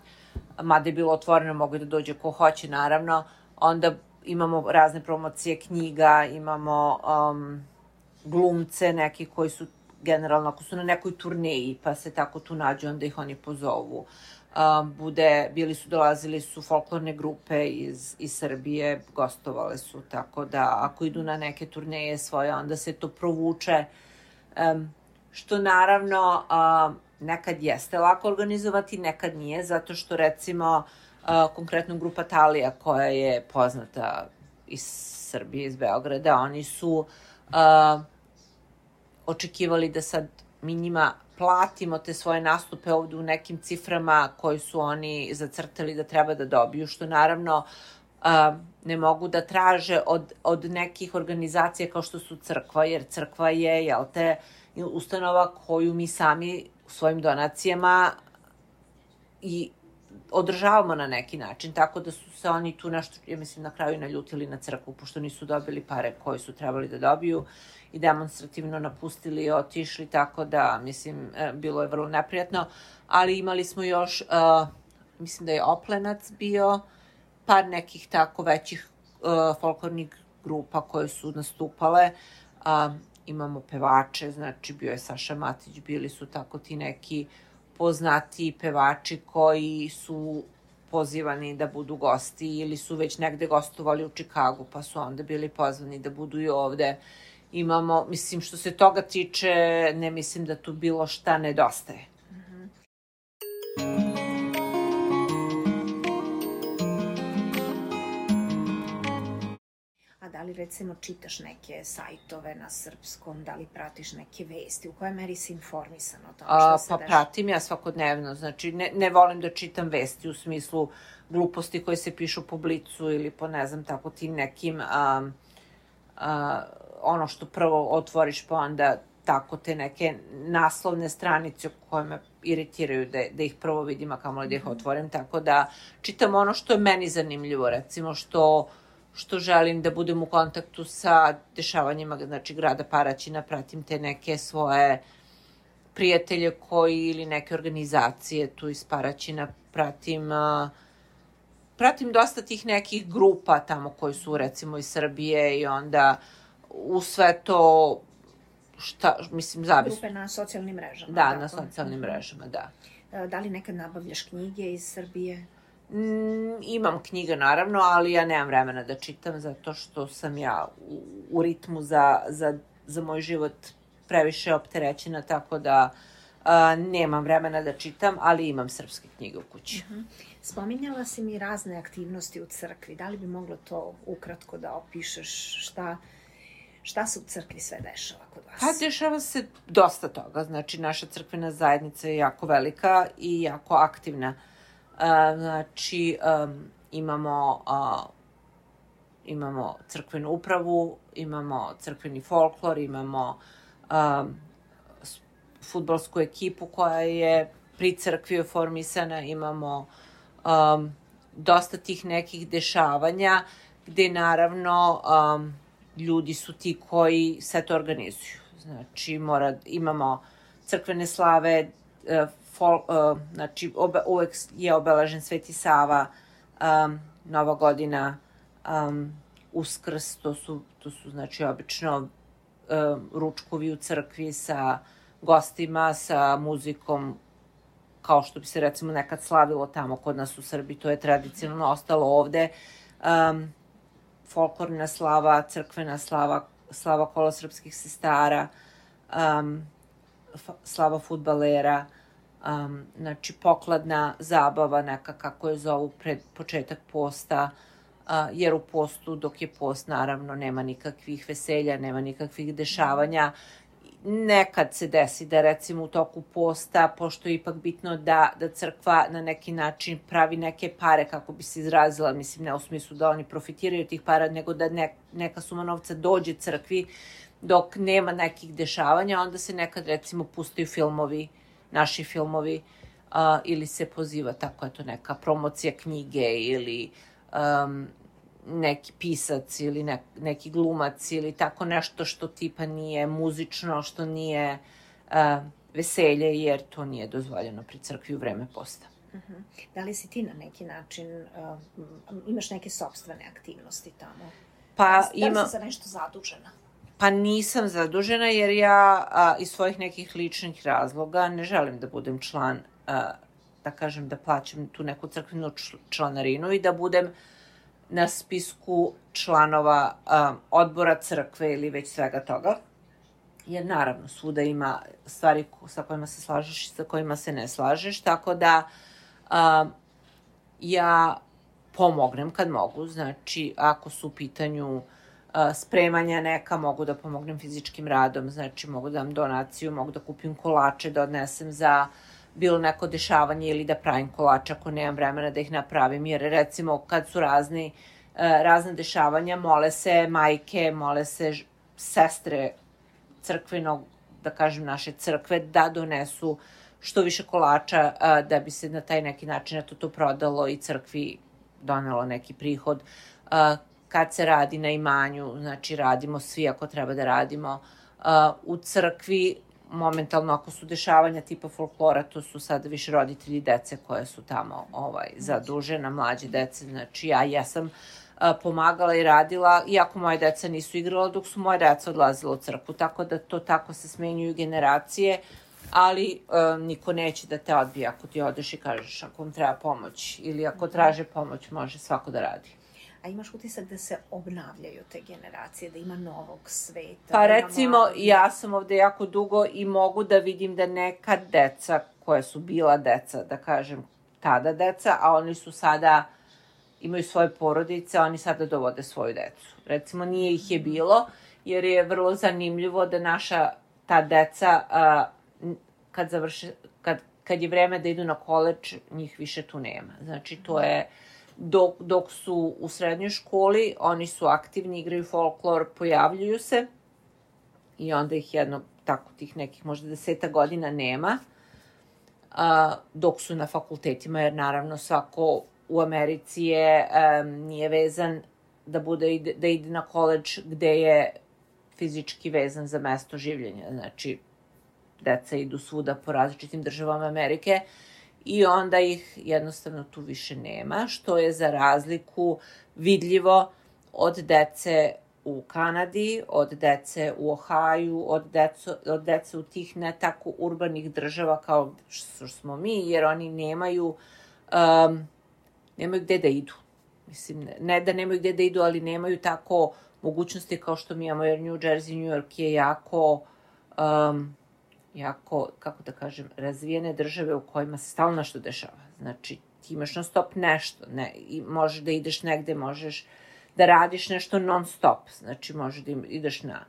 mada je bilo otvoreno, mogu da dođe ko hoće, naravno. Onda imamo razne promocije knjiga, imamo um, glumce neki koji su generalno, ako su na nekoj turneji, pa se tako tu nađu, onda ih oni pozovu. Um, bude, bili su, dolazili su folklorne grupe iz, iz Srbije, gostovale su, tako da ako idu na neke turneje svoje, onda se to provuče. Um, što naravno uh, nekad jeste lako organizovati, nekad nije, zato što recimo uh, konkretno grupa Talija koja je poznata iz Srbije, iz Beograda, oni su uh, očekivali da sad mi njima platimo te svoje nastupe ovde u nekim ciframa koji su oni zacrtali da treba da dobiju, što naravno uh, ne mogu da traže od, od nekih organizacija kao što su crkva, jer crkva je, jel te, ustanova koju mi sami svojim donacijama i održavamo na neki način, tako da su se oni tu nešto, ja mislim, na kraju naljutili na crkvu, pošto nisu dobili pare koje su trebali da dobiju i demonstrativno napustili i otišli, tako da, mislim, bilo je vrlo neprijatno, ali imali smo još, uh, mislim da je Oplenac bio, par nekih tako većih uh, folklornih grupa koje su nastupale, uh, imamo pevače, znači bio je Saša Matić, bili su tako ti neki poznati pevači koji su pozivani da budu gosti ili su već negde gostovali u Čikagu, pa su onda bili pozvani da budu i ovde. imamo, mislim, što se toga tiče, ne mislim da tu bilo šta nedostaje. Mhm. A da li recimo čitaš neke sajtove na srpskom, da li pratiš neke vesti, u kojoj meri si informisan o tome što se Pa dešava? pratim ja svakodnevno, znači ne, ne volim da čitam vesti u smislu gluposti koje se pišu po Blicu ili po ne znam tako tim nekim a, a, ono što prvo otvoriš pa onda tako te neke naslovne stranice koje me iritiraju da, da ih prvo vidim, a kamoli da ih otvorim, tako da čitam ono što je meni zanimljivo, recimo što što želim da budem u kontaktu sa dešavanjima, znači grada Paraćina, pratim te neke svoje prijatelje koji ili neke organizacije tu iz Paraćina, pratim uh, pratim dosta tih nekih grupa tamo koji su recimo iz Srbije i onda u sve to šta, mislim, zavis... Grupe na socijalnim mrežama. Da, tako? na socijalnim mrežama, da. Da li nekad nabavljaš knjige iz Srbije? Mm, imam knjige, naravno, ali ja nemam vremena da čitam, zato što sam ja u, u ritmu za, za, za moj život previše opterećena, tako da a, nemam vremena da čitam, ali imam srpske knjige u kući. Uh-huh. Spominjala si mi razne aktivnosti u crkvi. Da li bi moglo to ukratko da opišeš šta, šta se u crkvi sve dešava kod vas? Pa dešava se dosta toga. Znači, naša crkvena zajednica je jako velika i jako aktivna. A, znači, um, imamo, a, imamo crkvenu upravu, imamo crkveni folklor, imamo um, fudbalsku ekipu koja je pri crkvi formisana, imamo um, dosta tih nekih dešavanja gde naravno um, ljudi su ti koji sve to organizuju. Znači, mora, imamo crkvene slave, uh, fol, uh, znači obe, uvek je obeležen Sveti Sava, um, Nova godina, um, Uskrs, to su, to su znači obično um, ručkovi u crkvi sa gostima, sa muzikom, kao što bi se recimo nekad slavilo tamo kod nas u Srbiji, to je tradicionalno ostalo ovde. Um, folklorna slava, crkvena slava, slava kolosrpskih sestara, um, slava fudbalera, um, znači pokladna zabava neka kako je zovu pred početak posta, uh, jer u postu dok je post naravno nema nikakvih veselja, nema nikakvih dešavanja. Nekad se desi da recimo u toku posta, pošto je ipak bitno da, da crkva na neki način pravi neke pare, kako bi se izrazila, mislim ne u smislu da oni profitiraju tih para, nego da ne, neka suma novca dođe crkvi dok nema nekih dešavanja, onda se nekad recimo pustaju filmovi, naši filmovi, uh, ili se poziva tako, eto, neka promocija knjige ili um, neki pisac ili ne, neki glumac ili tako nešto što tipa nije muzično, što nije uh, veselje, jer to nije dozvoljeno pri crkvi u vreme posta. Uh-huh. Da li si ti na neki način, uh, imaš neke sopstvene aktivnosti tamo? Pa da, ima... Da li si za nešto zadužena? Pa nisam zadužena jer ja a, iz svojih nekih ličnih razloga ne želim da budem član, a, da kažem da plaćam tu neku crkvenu članarinu i da budem na spisku članova a, odbora crkve ili već svega toga. Jer naravno svuda ima stvari sa kojima se slažeš i sa kojima se ne slažeš, tako da a, ja pomognem kad mogu, znači ako su u pitanju spremanja neka, mogu da pomognem fizičkim radom, znači mogu da dam donaciju, mogu da kupim kolače, da odnesem za bilo neko dešavanje ili da pravim kolače ako nemam vremena da ih napravim, jer recimo kad su razni, razne dešavanja, mole se majke, mole se sestre crkvenog, da kažem naše crkve, da donesu što više kolača da bi se na taj neki način to, to prodalo i crkvi donelo neki prihod. Kad se radi na imanju, znači radimo svi ako treba da radimo. Uh, u crkvi, momentalno ako su dešavanja tipa folklora, to su sad više roditelji dece koje su tamo ovaj, zadužena, mlađe dece, znači ja jesam uh, pomagala i radila, iako moje deca nisu igrala dok su moje deca odlazila u crkvu, tako da to tako se smenjuju generacije, ali uh, niko neće da te odbije ako ti odeš i kažeš ako vam treba pomoć ili ako traže pomoć, može svako da radi. a imaš utisak da se obnavljaju te generacije, da ima novog sveta? Pa recimo, mladog... ja sam ovde jako dugo i mogu da vidim da neka deca koja su bila deca, da kažem, tada deca, a oni su sada, imaju svoje porodice, oni sada dovode svoju decu. Recimo, nije ih je bilo, jer je vrlo zanimljivo da naša ta deca, a, kad završe, kad, kad je vreme da idu na koleđ, njih više tu nema. Znači, to je, dok, dok su u srednjoj školi, oni su aktivni, igraju folklor, pojavljuju se i onda ih jedno, tako tih nekih možda deseta godina nema, a, dok su na fakultetima, jer naravno svako u Americi je, um, nije vezan da, bude, da ide na koleđ gde je fizički vezan za mesto življenja. Znači, deca idu svuda po različitim državama Amerike i onda ih jednostavno tu više nema, što je za razliku vidljivo od dece u Kanadi, od dece u Ohaju, od, deco, od dece u tih ne tako urbanih država kao što smo mi, jer oni nemaju, um, nemaju gde da idu. Mislim, ne, ne da nemaju gde da idu, ali nemaju tako mogućnosti kao što mi imamo, jer New Jersey, New York je jako, um, jako, kako da kažem, razvijene države u kojima se stalno nešto dešava. Znači, ti imaš non stop nešto, ne, i možeš da ideš negde, možeš da radiš nešto non stop. Znači, možeš da ideš na,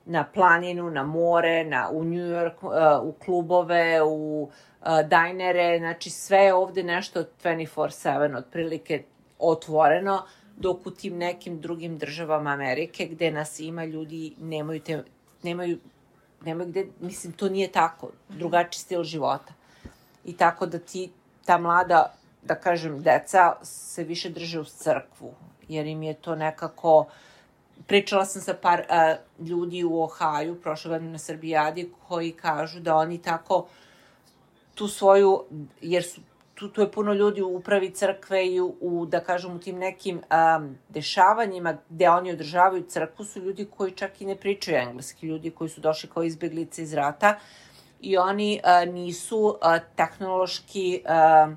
na planinu, na more, na, u New York, uh, u klubove, u uh, dajnere, znači sve je ovde nešto dvadesет četiri sedam, otprilike otvoreno, dok u tim nekim drugim državama Amerike, gde nas ima, ljudi nemaju, te, nemaju, nemaju gde, mislim, to nije tako, drugačiji stil života. I tako da ti, ta mlada, da kažem, deca se više drže uz crkvu, jer im je to nekako... Pričala sam sa par a, ljudi u Ohaju, prošle godine na Srbijadi, koji kažu da oni tako tu svoju, jer su Tu, tu je puno ljudi u upravi crkve i u, u da kažem, u tim nekim um, dešavanjima gde oni održavaju crkvu su ljudi koji čak i ne pričaju engleski, ljudi koji su došli kao izbeglice iz rata i oni uh, nisu uh, tehnološki uh,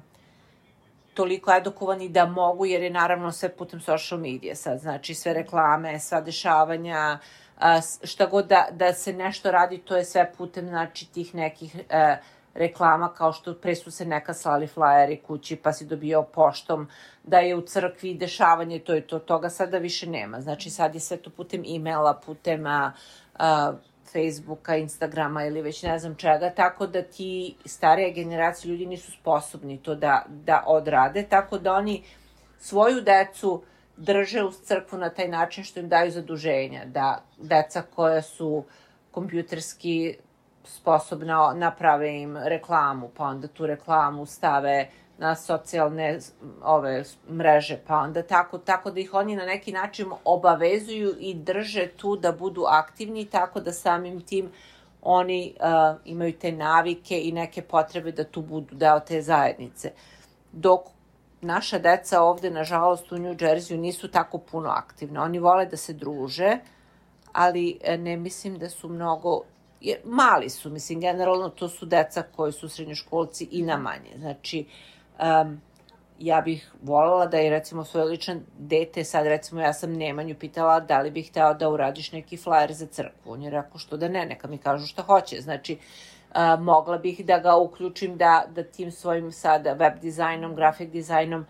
toliko edukovani da mogu, jer je naravno sve putem social medije sad, znači sve reklame, sva dešavanja, uh, šta god da, da se nešto radi, to je sve putem, znači, tih nekih... Uh, reklama, kao što pre su se neka slali flajeri kući, pa si dobijao poštom da je u crkvi dešavanje, to je to, toga sada više nema. Znači, sad je sve to putem e-maila, putem a, a, Facebooka, Instagrama ili već ne znam čega, tako da ti starije generacije ljudi nisu sposobni to da, da odrade, tako da oni svoju decu drže uz crkvu na taj način što im daju zaduženja, da deca koja su kompjuterski sposobna naprave im reklamu, pa onda tu reklamu stave na socijalne ove mreže, pa onda tako, tako da ih oni na neki način obavezuju i drže tu da budu aktivni, tako da samim tim oni uh, imaju te navike i neke potrebe da tu budu deo te zajednice. Dok naša deca ovde, nažalost, u New Jerseyu nisu tako puno aktivne. Oni vole da se druže, ali ne mislim da su mnogo... Jer mali su, mislim, generalno to su deca koji su srednjoškolci i na manje. Znači, um, ja bih voljela da je, recimo, svoj ličan dete, sad, recimo, ja sam Nemanju pitala da li bih htela da uradiš neki flajer za crkvu. On je rekao što da ne, neka mi kažu šta hoće. Znači, uh, mogla bih da ga uključim da, da tim svojim sada web dizajnom, grafik dizajnom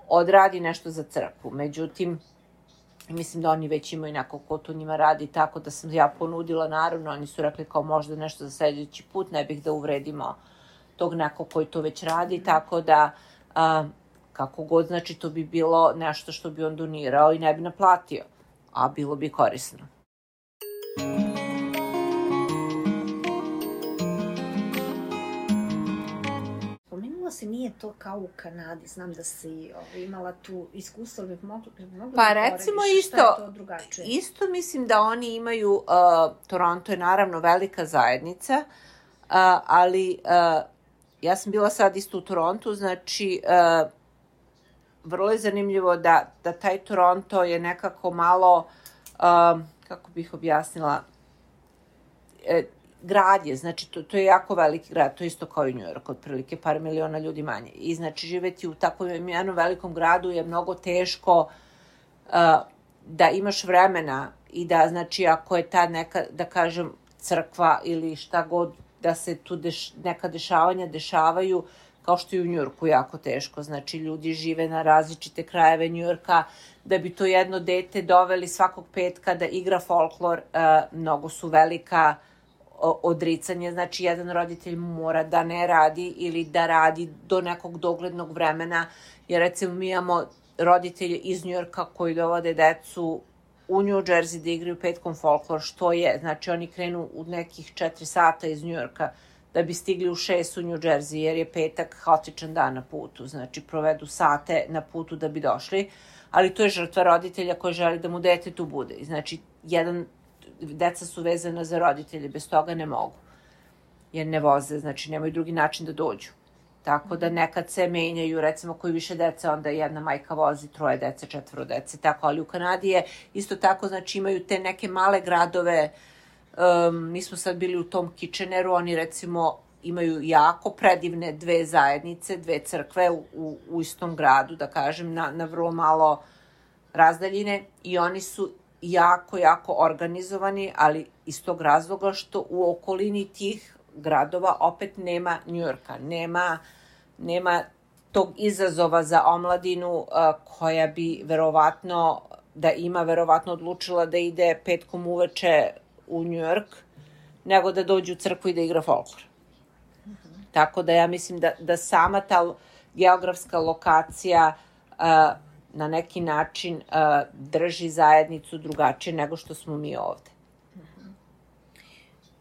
odradi nešto za crkvu. Međutim, mislim da oni već imaju neko ko tu njima radi, tako da sam ja ponudila, naravno, oni su rekli kao možda nešto za sledeći put, ne bih da uvredimo tog nekog koji to već radi, tako da a, kako god, znači to bi bilo nešto što bi on donirao i ne bi naplatio, a bilo bi korisno. Se nije to kao u Kanadi, znam da si ovaj, imala tu iskustvo, ali bih mogla, mogla pa da recimo porediš, isto, šta je to drugačije? Isto mislim da oni imaju, uh, Toronto je naravno velika zajednica, uh, ali uh, ja sam bila sad isto u Torontu, znači uh, vrlo je zanimljivo da, da taj Toronto je nekako malo, uh, kako bih objasnila, uh, grad je, znači to, to je jako veliki grad, to je isto kao i New York, otprilike par miliona ljudi manje. I znači živeti u takvom jednom velikom gradu je mnogo teško da imaš vremena i da, znači, ako je ta neka, da kažem, crkva ili šta god, da se tu deš, neka dešavanja dešavaju, kao što je u Njujorku jako teško. Znači, ljudi žive na različite krajeve Njujorka, da bi to jedno dete doveli svakog petka da igra folklor, mnogo su velika odricanje. Znači, jedan roditelj mora da ne radi ili da radi do nekog doglednog vremena, jer recimo mi imamo roditelje iz Njujorka koji dovode decu u New Jersey da igraju petkom folklor, što je, znači oni krenu u nekih četiri sata iz Njujorka da bi stigli u šest u New Jersey, jer je petak haotičan dan na putu, znači provedu sate na putu da bi došli, ali to je žrtva roditelja koji želi da mu dete tu bude. Znači, jedan, deca su vezana za roditelje, bez toga ne mogu, jer ne voze, znači nemaju drugi način da dođu. Tako da nekad se menjaju, recimo koji više dece, onda jedna majka vozi troje dece, četvoro dece, tako, ali u Kanadi je isto tako, znači imaju te neke male gradove, um, mi smo sad bili u tom Kitcheneru, oni recimo imaju jako predivne dve zajednice, dve crkve u, u, u istom gradu, da kažem, na, na vrlo malo razdaljine i oni su jako, jako organizovani, ali iz tog razloga što u okolini tih gradova opet nema Njujorka, nema, nema tog izazova za omladinu uh, koja bi verovatno, da ima verovatno odlučila da ide petkom uveče u Njujork, nego da dođe u crkvu i da igra folklor. Mm-hmm. Tako da ja mislim da, da sama ta geografska lokacija uh, na neki način uh, drži zajednicu drugačije nego što smo mi ovde. Mm-hmm.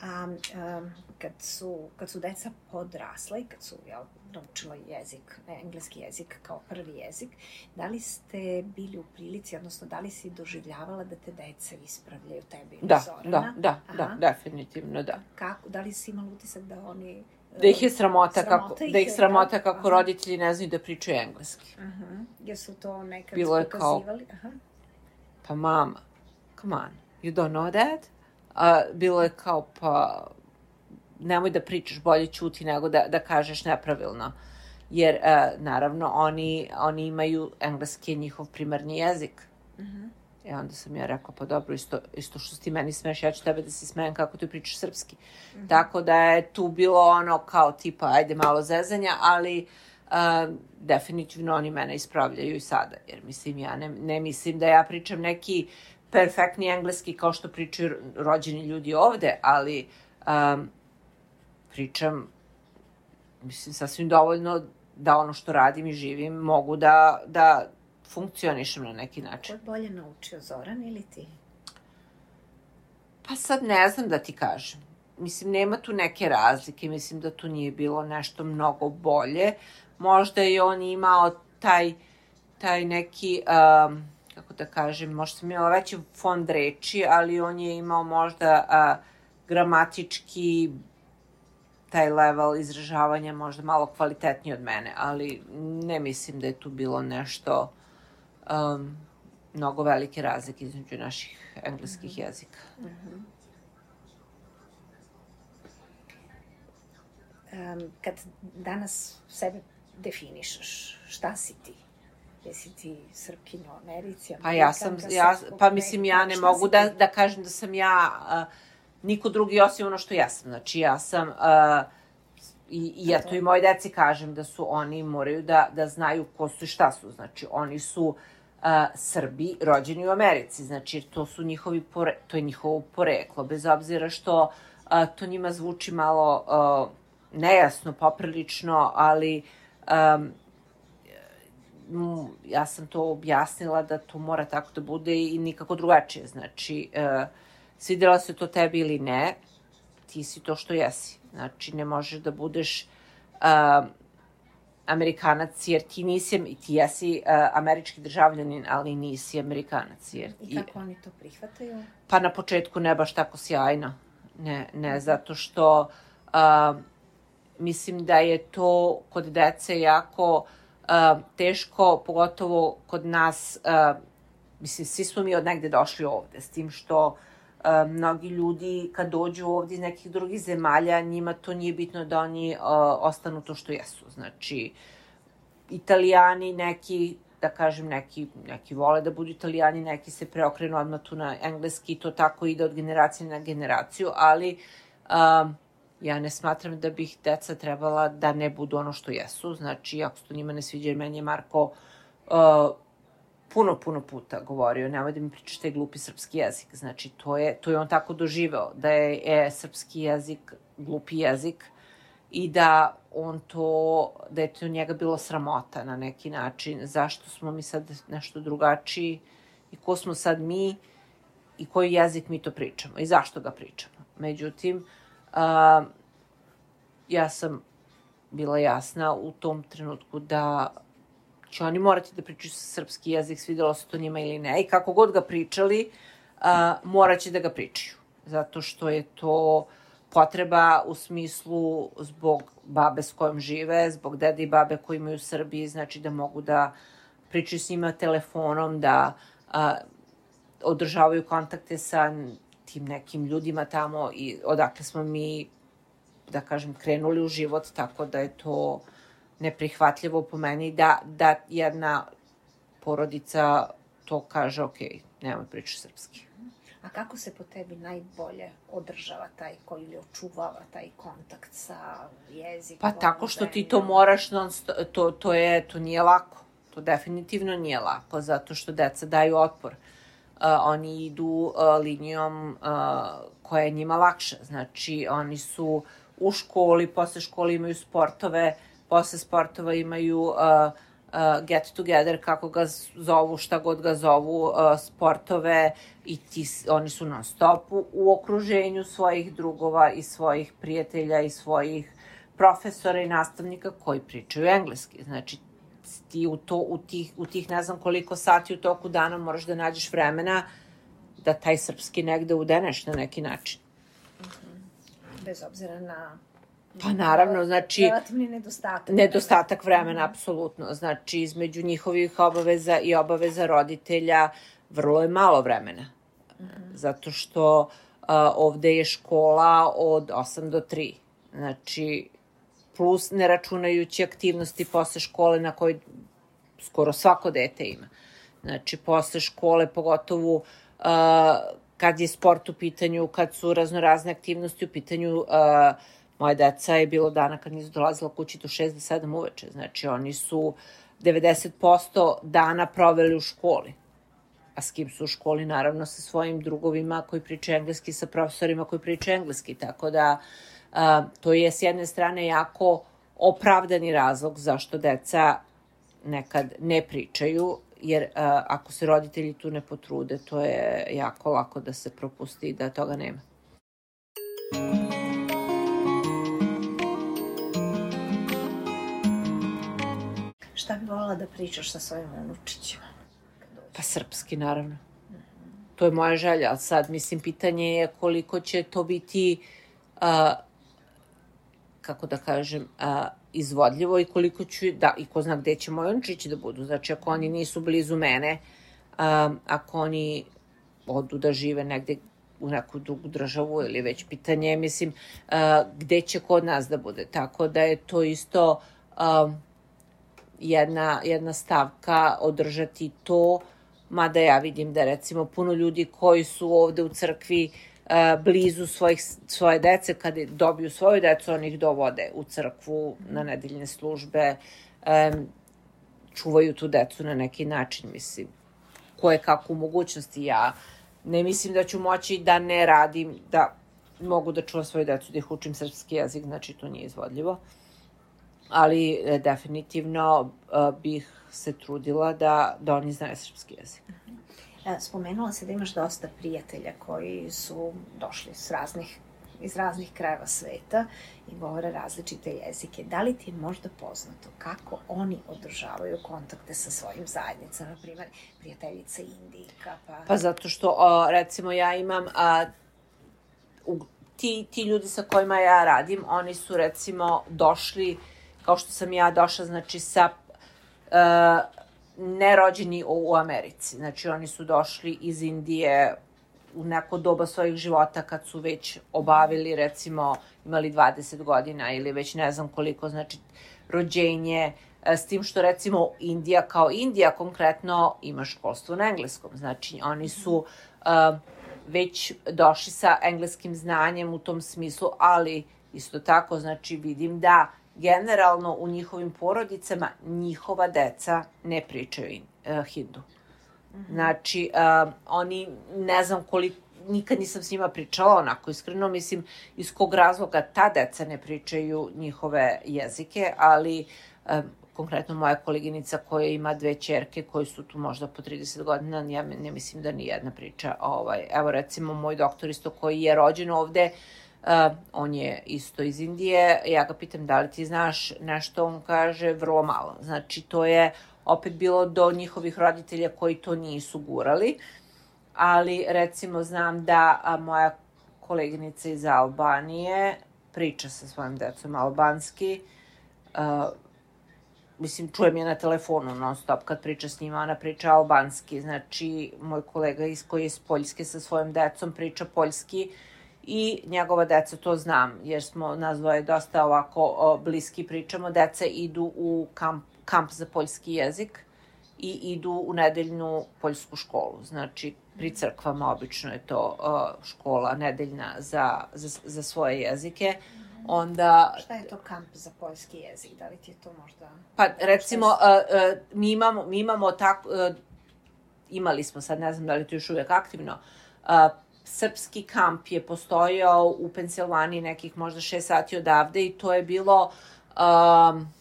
A um, kad su, kad su deca podrasla i kad su ja, naučila jezik, engleski jezik kao prvi jezik, da li ste bili u prilici, odnosno da li si doživljavala da te deca ispravljaju tebi ili da, Zorana? Da, da, da, definitivno da. Kako, da li si imala utisak da oni... Da ih je sramota, sramota kako, ih da ih je, sramota da? kako Aha. roditelji ne znaju da pričaju engleski. Uh-huh. Jer su to nekad Bilo je pokazivali? Kao, Aha. pa mama, come on, you don't know that? A, bilo je kao, pa nemoj da pričaš, bolje ćuti nego da, da kažeš nepravilno. Jer, uh, naravno, oni, oni imaju, engleski je njihov primarni jezik. Uh-huh. I onda sam ja rekla, pa dobro, isto, isto što ti meni smeš, ja ću tebe da si smejem kako ti pričaš srpski. Uh-huh. Tako da je tu bilo ono kao tipa, ajde malo zezanja, ali uh, definitivno oni mene ispravljaju i sada. Jer mislim, ja ne, ne mislim da ja pričam neki perfektni engleski kao što pričaju rođeni ljudi ovde, ali um, pričam, mislim, sasvim dovoljno da ono što radim i živim mogu da, da funkcionišem na neki način. Ko je bolje naučio, Zoran ili ti? Pa sad ne znam da ti kažem. Mislim, nema tu neke razlike. Mislim da tu nije bilo nešto mnogo bolje. Možda je on imao taj, taj neki, um, kako da kažem, možda sam imala veći fond reči, ali on je imao možda uh, gramatički taj level izražavanja možda malo kvalitetniji od mene, ali ne mislim da je tu bilo nešto um, mnogo velike razlike između naših engleskih mm-hmm. jezika. Mm-hmm. Um, kad danas sebe definišeš, šta si ti? Jesi ti Srpkinja u Americi? Pa ja sam, ja, pa mislim ja ne mogu da, da kažem da sam ja uh, niko drugi osim ono što ja sam. Znači ja sam, uh, i, i ja to i moje deci kažem da su oni, moraju da, da znaju ko su i šta su. Znači oni su uh, Srbi rođeni u Americi. Znači to su njihovi, pore, to je njihovo poreklo. Bez obzira što uh, to njima zvuči malo uh, nejasno, poprilično, ali um, ja sam to objasnila da to mora tako da bude i nikako drugačije. Znači, uh, svidjela se to tebi ili ne, ti si to što jesi. Znači, ne možeš da budeš uh, Amerikanac, jer ti nisi, ti jesi uh, američki državljanin, ali nisi Amerikanac. Jer, I kako i, oni to prihvataju? Pa na početku ne baš tako sjajno. Ne, ne, zato što uh, mislim da je to kod dece jako uh, teško, pogotovo kod nas, uh, mislim, svi smo mi od negde došli ovde, s tim što uh, mnogi ljudi kad dođu ovde iz nekih drugih zemalja, njima to nije bitno da oni uh, ostanu to što jesu. Znači, Italijani neki da kažem, neki, neki vole da budu Italijani, neki se preokrenu odmah tu na engleski, to tako ide od generacije na generaciju, ali um, ja ne smatram da bih deca trebala da ne budu ono što jesu. Znači, ako se to njima ne sviđa, jer meni je Marko uh, puno, puno puta govorio, nemoj da mi pričaš taj glupi srpski jezik. Znači, to je, to je on tako doživeo, da je, je srpski jezik glupi jezik i da on to, da je to njega bilo sramota na neki način. Zašto smo mi sad nešto drugačiji i ko smo sad mi i koji jezik mi to pričamo i zašto ga pričamo. Međutim, uh, ja sam bila jasna u tom trenutku da će oni morati da pričaju srpski jezik, svidelo se to njima ili ne. I kako god ga pričali, uh, morat će da ga pričaju. Zato što je to potreba u smislu zbog babe s kojom žive, zbog dede i babe koji imaju u Srbiji, znači da mogu da pričaju s njima telefonom, da uh, održavaju kontakte sa tim nekim ljudima tamo i odakle smo mi, da kažem, krenuli u život, tako da je to neprihvatljivo po meni da, da jedna porodica to kaže, ok, nemoj pričati srpski. A kako se po tebi najbolje održava taj koji ili očuvava taj kontakt sa jezikom? Pa tako što ti to moraš, non to, to, je, to nije lako. To definitivno nije lako, zato što deca daju otpor. Uh, oni idu uh, linijom uh, koja je njima lakša. Znači, oni su u školi, posle škole imaju sportove, posle sportova imaju uh, uh, get together, kako ga zovu, šta god ga zovu, uh, sportove i ti, oni su non stop u, u okruženju svojih drugova i svojih prijatelja i svojih profesora i nastavnika koji pričaju engleski. Znači, ti u, to, u, tih, u tih ne znam koliko sati u toku dana moraš da nađeš vremena da taj srpski negde udeneš na neki način. Bez obzira na... Pa naravno, znači... Relativni nedostatak. Nedostatak vremena, apsolutno. Znači, između njihovih obaveza i obaveza roditelja vrlo je malo vremena. Mm-hmm. Zato što uh, ovde je škola od osam do tri. Znači, plus ne računajući aktivnosti posle škole na kojoj skoro svako dete ima. Znači, posle škole, pogotovo uh, kad je sport u pitanju, kad su raznorazne aktivnosti u pitanju, uh, moje deca je bilo dana kad nisu dolazila kući do šest do sedam uveče. Znači, oni su devedeset posto dana proveli u školi. A s kim su u školi? Naravno, sa svojim drugovima koji pričaju engleski, sa profesorima koji pričaju engleski. Tako da, a, to je s jedne strane jako opravdani razlog zašto deca nekad ne pričaju, jer a, ako se roditelji tu ne potrude, to je jako lako da se propusti i da toga nema. Šta bi voljela da pričaš sa svojim unučićima? Pa srpski, naravno. Mm-hmm. To je moja želja, ali sad, mislim, pitanje je koliko će to biti, uh, kako da kažem, uh, izvodljivo i koliko ću, da, i ko zna gde će moji unučići da budu. Znači, ako oni nisu blizu mene, uh, ako oni odu da žive negde u neku drugu državu ili već pitanje, mislim, uh, gde će kod nas da bude. Tako da je to isto... Uh, Jedna, jedna stavka održati to, mada ja vidim da recimo puno ljudi koji su ovde u crkvi uh, blizu svojih, svoje dece, kada dobiju svoju decu, oni ih dovode u crkvu na nedeljne službe, um, čuvaju tu decu na neki način, mislim, koje kako u mogućnosti. Ja ne mislim da ću moći da ne radim, da mogu da čuvam svoju decu, da ih učim srpski jezik, znači to nije izvodljivo. Ali e, definitivno e, bih se trudila da, da oni znaju srpski jezik. Spomenula se da imaš dosta prijatelja koji su došli s raznih, iz raznih krajeva sveta i govore različite jezike. Da li ti je možda poznato kako oni održavaju kontakte sa svojim zajednicama, na primjer prijateljica Indijka? Pa, pa zato što, o, recimo, ja imam... A, u, ti, ti ljudi sa kojima ja radim, oni su, recimo, došli... kao što sam ja došla, znači, sa uh, nerođeni u, u Americi. Znači, oni su došli iz Indije u neko doba svojih života kad su već obavili, recimo, imali dvadeset godina ili već ne znam koliko, znači, rođenje, s tim što recimo Indija kao Indija konkretno ima školstvo na engleskom, znači oni su uh, već došli sa engleskim znanjem u tom smislu, ali isto tako znači vidim da generalno u njihovim porodicama njihova deca ne pričaju uh, hindu. Znači, uh, oni, ne znam koliko, nikad nisam s njima pričala onako iskreno, mislim iz kog razloga ta deca ne pričaju njihove jezike, ali um, konkretno moja koleginica koja ima dve ćerke koje su tu možda po trideset godina, ja ne mislim da ni jedna priča. Ovaj, evo recimo moj doktor isto koji je rođen ovde, uh, on je isto iz Indije, ja ga pitam da li ti znaš nešto, on kaže vrlo malo. Znači to je opet bilo do njihovih roditelja koji to nisu gurali, ali recimo znam da a, moja koleginica iz Albanije priča sa svojim decom albanski, uh, mislim, čujem je na telefonu non stop kad priča s njima, ona priča albanski, znači moj kolega iz koji je iz Poljske sa svojim decom priča poljski i njegova deca to znam, jer smo nas dvoje dosta ovako o, bliski pričamo, deca idu u kamp, kamp za poljski jezik i idu u nedeljnu poljsku školu, znači pri crkvama obično je to uh, škola nedeljna za, za, za svoje jezike. Onda, šta je to kamp za poljski jezik? Da li ti je to možda... Pa recimo, uh, uh, mi imamo, mi imamo tako, uh, imali smo sad, ne znam da li to još uvijek aktivno, uh, srpski kamp je postojao u Pensilvaniji nekih možda šest sati odavde i to je bilo um,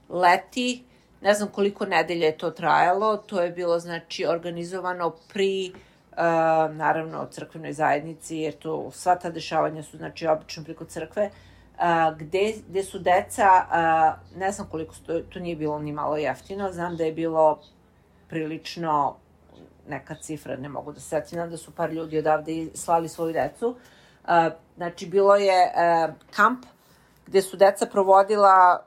leti, ne znam koliko nedelja je to trajalo, to je bilo znači organizovano pri Uh, naravno crkvenoj zajednici, jer to sva ta dešavanja su znači obično preko crkve, uh, gde, gde su deca, uh, ne znam koliko, to, to nije bilo ni malo jeftino, znam da je bilo prilično neka cifra, ne mogu da se setim, da su par ljudi odavde slali svoju decu. Uh, znači bilo je uh, kamp gde su deca provodila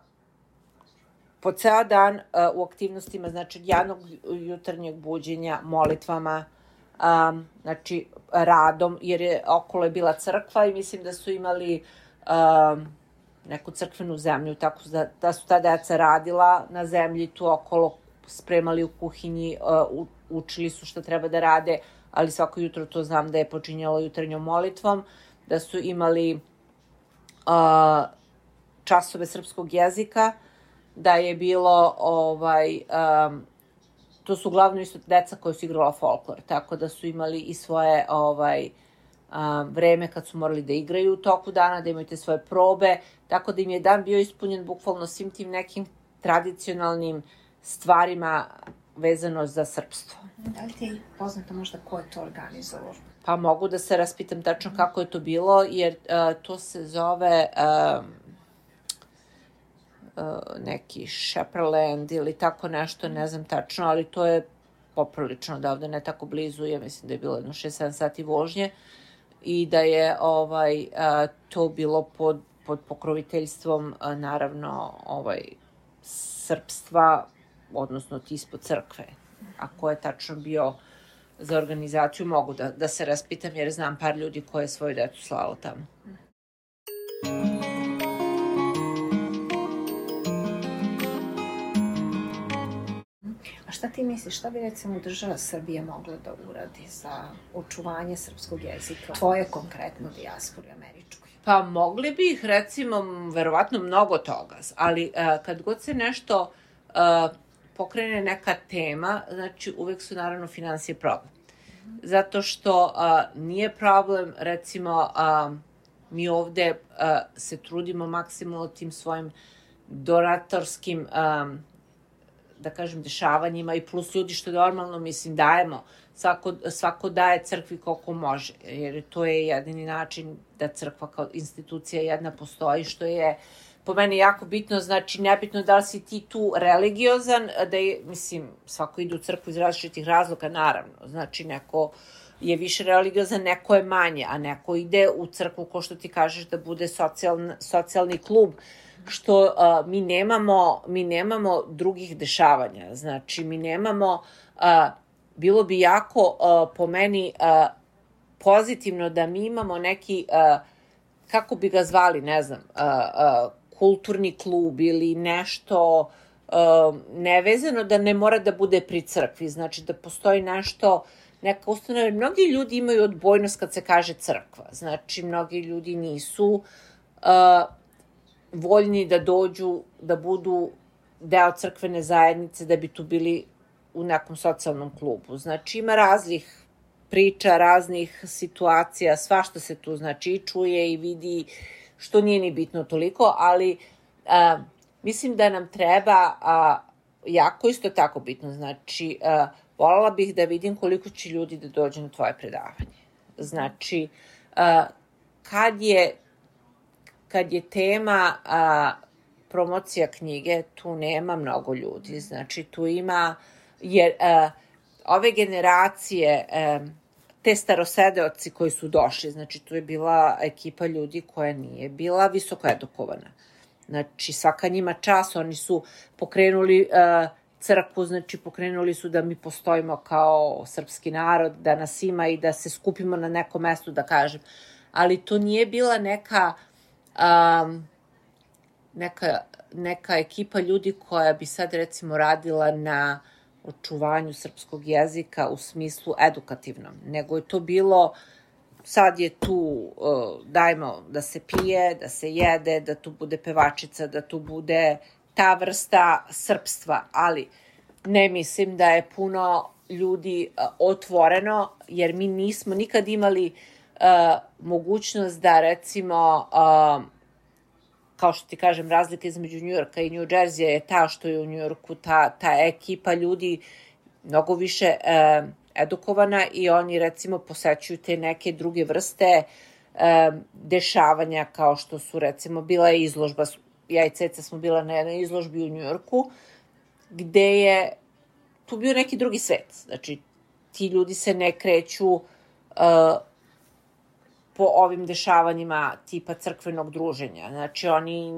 po ceo dan uh, u aktivnostima, znači jednog jutarnjeg buđenja, molitvama, Um, znači radom, jer je okolo je bila crkva i mislim da su imali um, neku crkvenu zemlju, tako da, da su ta deca radila na zemlji tu okolo, spremali u kuhinji, uh, učili su šta treba da rade, ali svako jutro to znam da je počinjalo jutarnjom molitvom, da su imali uh, časove srpskog jezika, da je bilo ovaj... Um, to su uglavnom isto deca koja su igrala folklor, tako da su imali i svoje ovaj, a, vreme kad su morali da igraju u toku dana, da imaju te svoje probe, tako da im je dan bio ispunjen bukvalno svim tim nekim tradicionalnim stvarima vezano za srpstvo. Da li ti je poznato možda ko je to organizovao? Pa mogu da se raspitam tačno kako je to bilo, jer a, to se zove... A, neki Shepherdland ili tako nešto, ne znam tačno, ali to je poprilično odavde, ne tako blizu, ja mislim da je bilo jedno šest sedam sati vožnje i da je ovaj a, to bilo pod, pod pokroviteljstvom a, naravno ovaj srpstva, odnosno tispo crkve. A ko je tačno bio za organizaciju, mogu da, da se raspitam, jer znam par ljudi koje je svoju decu slalo tamo. A šta ti misliš, šta bi recimo država Srbije mogla da uradi za očuvanje srpskog jezika, tvoje konkretno dijaspori američkoj? Pa mogli bi ih recimo, verovatno mnogo toga, ali uh, kad god se nešto uh, pokrene neka tema, znači uvek su naravno finansije problem. Zato što uh, nije problem, recimo, uh, mi ovde uh, se trudimo maksimalno tim svojim donatorskim um, da kažem, dešavanjima i plus ljudi što normalno, mislim, dajemo. Svako, svako daje crkvi koliko može, jer to je jedini način da crkva kao institucija jedna postoji, što je po meni jako bitno, znači nebitno da li si ti tu religiozan, da je, mislim, svako ide u crkvu iz različitih razloga, naravno, znači neko je više religiozan, neko je manje, a neko ide u crkvu, ko što ti kažeš, da bude socijalni, socijalni klub, što uh, mi nemamo, mi nemamo drugih dešavanja. Znači, mi nemamo, uh, bilo bi jako uh, po meni uh, pozitivno da mi imamo neki, uh, kako bi ga zvali, ne znam, uh, uh, kulturni klub ili nešto, uh, nevezano da ne mora da bude pri crkvi, znači da postoji nešto, neka ustanova. Mnogi ljudi imaju odbojnost kad se kaže crkva, znači mnogi ljudi nisu uh, voljni da dođu, da budu deo crkvene zajednice, da bi tu bili u nekom socijalnom klubu. Znači ima raznih priča, raznih situacija, svašta se tu znači i čuje i vidi, što nije ni bitno toliko, ali a, mislim da nam treba, a, jako isto tako bitno, znači a, voljela bih da vidim koliko će ljudi da dođe na tvoje predavanje. Znači, a, kad je kad je tema a, promocija knjige, tu nema mnogo ljudi, znači tu ima, jer a, ove generacije, a, te starosedeoci koji su došli, znači tu je bila ekipa ljudi koja nije bila visoko edukovana. Znači svaka njima čas, oni su pokrenuli uh, crkvu, znači pokrenuli su da mi postojimo kao srpski narod, da nas ima i da se skupimo na nekom mestu, da kažem. Ali to nije bila neka, um, neka, neka ekipa ljudi koja bi sad recimo radila na očuvanju srpskog jezika u smislu edukativnom, nego je to bilo, sad je tu, uh, dajmo da se pije, da se jede, da tu bude pevačica, da tu bude ta vrsta srpstva, ali ne mislim da je puno ljudi uh, otvoreno, jer mi nismo nikad imali uh, mogućnost da recimo uh, kao što ti kažem, razlika između Njujorka i New Jersey je ta što je u Njujorku ta, ta ekipa ljudi mnogo više e, edukovana i oni recimo posećuju te neke druge vrste e, dešavanja kao što su recimo bila je izložba, ja i Ceca smo bila na jednoj izložbi u Njujorku gde je tu bio neki drugi svet. Znači ti ljudi se ne kreću e, po ovim dešavanjima tipa crkvenog druženja. Znači, oni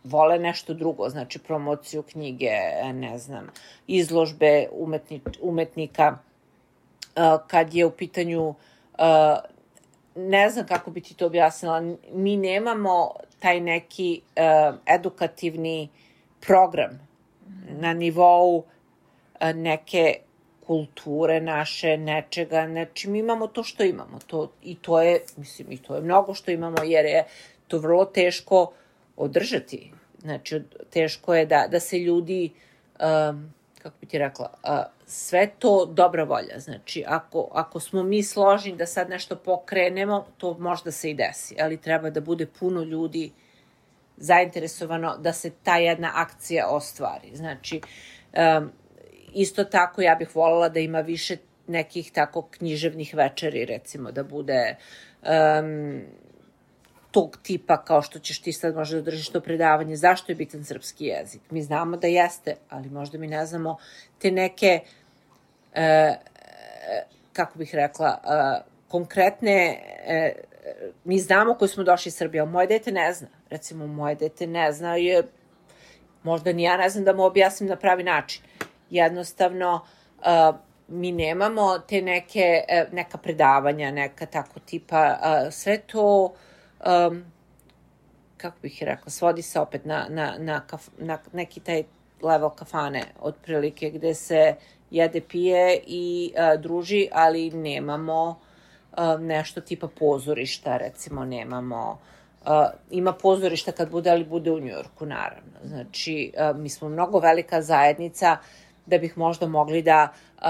vole nešto drugo, znači promociju knjige, ne znam, izložbe umetni, umetnika. Kad je u pitanju, ne znam kako bi ti to objasnila, mi nemamo taj neki edukativni program na nivou neke kulture naše, nečega, znači mi imamo to što imamo, to, i to je, mislim, i to je mnogo što imamo, jer je to vrlo teško održati, znači teško je da, da se ljudi, um, kako bi ti rekla, uh, sve to dobra volja, znači ako, ako smo mi složni da sad nešto pokrenemo, to možda se i desi, ali treba da bude puno ljudi zainteresovano da se ta jedna akcija ostvari, znači um, isto tako ja bih voljela da ima više nekih tako književnih večeri, recimo, da bude um, tog tipa kao što ćeš ti sad možda da držiš to predavanje. Zašto je bitan srpski jezik? Mi znamo da jeste, ali možda mi ne znamo te neke, uh, kako bih rekla, uh, konkretne, uh, mi znamo koji smo došli iz Srbije, ali moje dete ne zna. Recimo, moje dete ne zna, je, možda ni ja ne znam da mu objasnim na pravi način. Jednostavno, uh, mi nemamo te neke, uh, neka predavanja, neka tako tipa, uh, sve to, um, kako bih rekla, svodi se opet na, na, na, kaf, na neki taj level kafane, otprilike, gde se jede, pije i uh, druži, ali nemamo uh, nešto tipa pozorišta, recimo, nemamo. Uh, ima pozorišta kad bude, ali bude u Njujorku, naravno. Znači, uh, mi smo mnogo velika zajednica da bih možda mogli da uh,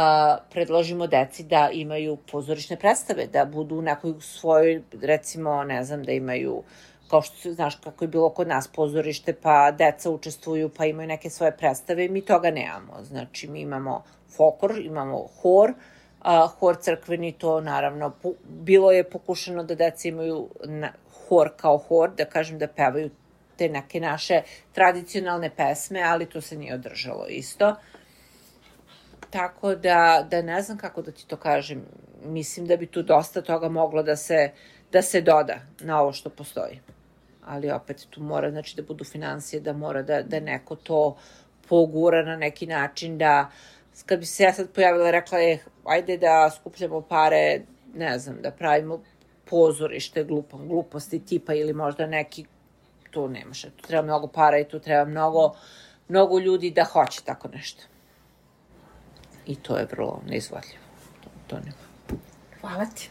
predložimo deci da imaju pozorišne predstave, da budu u nekoj svojoj, recimo, ne znam, da imaju, kao što znaš kako je bilo kod nas pozorište, pa deca učestvuju, pa imaju neke svoje predstave i mi toga nemamo. Znači, mi imamo folklor, imamo hor, uh, hor crkveni, to naravno, po, bilo je pokušano da deca imaju na, hor kao hor, da kažem da pevaju te neke naše tradicionalne pesme, ali to se nije održalo isto. Tako da, da ne znam kako da ti to kažem. Mislim da bi tu dosta toga moglo da se, da se doda na ovo što postoji. Ali opet tu mora, znači, da budu finansije, da mora da, da neko to pogura na neki način, da kad bi se ja sad pojavila i rekla je, ajde da skupljamo pare, ne znam, da pravimo pozorište glupom, gluposti tipa ili možda neki, tu nemaš, tu treba mnogo para i tu treba mnogo mnogo ljudi da hoće tako nešto. I to je vrlo neizvodljivo. To, to nema. Hvala ti.